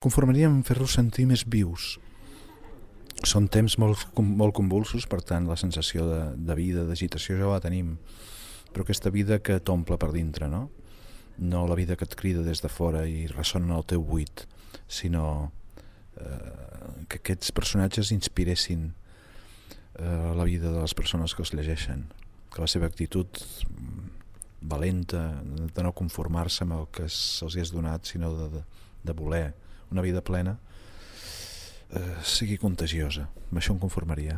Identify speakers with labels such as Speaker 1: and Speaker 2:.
Speaker 1: Conformaria en fer-los sentir més vius. Són temps molt convulsos, per tant la sensació de vida, d'agitació ja la tenim, però aquesta vida que t'omple per dintre, no? No la vida que et crida des de fora i ressona en el teu buit, sinó que aquests personatges inspiressin la vida de les persones que els llegeixen, que la seva actitud valenta, de no conformar-se amb el que se'ls és donat, sinó de voler una vida plena, sigui contagiosa. Amb això em conformaria.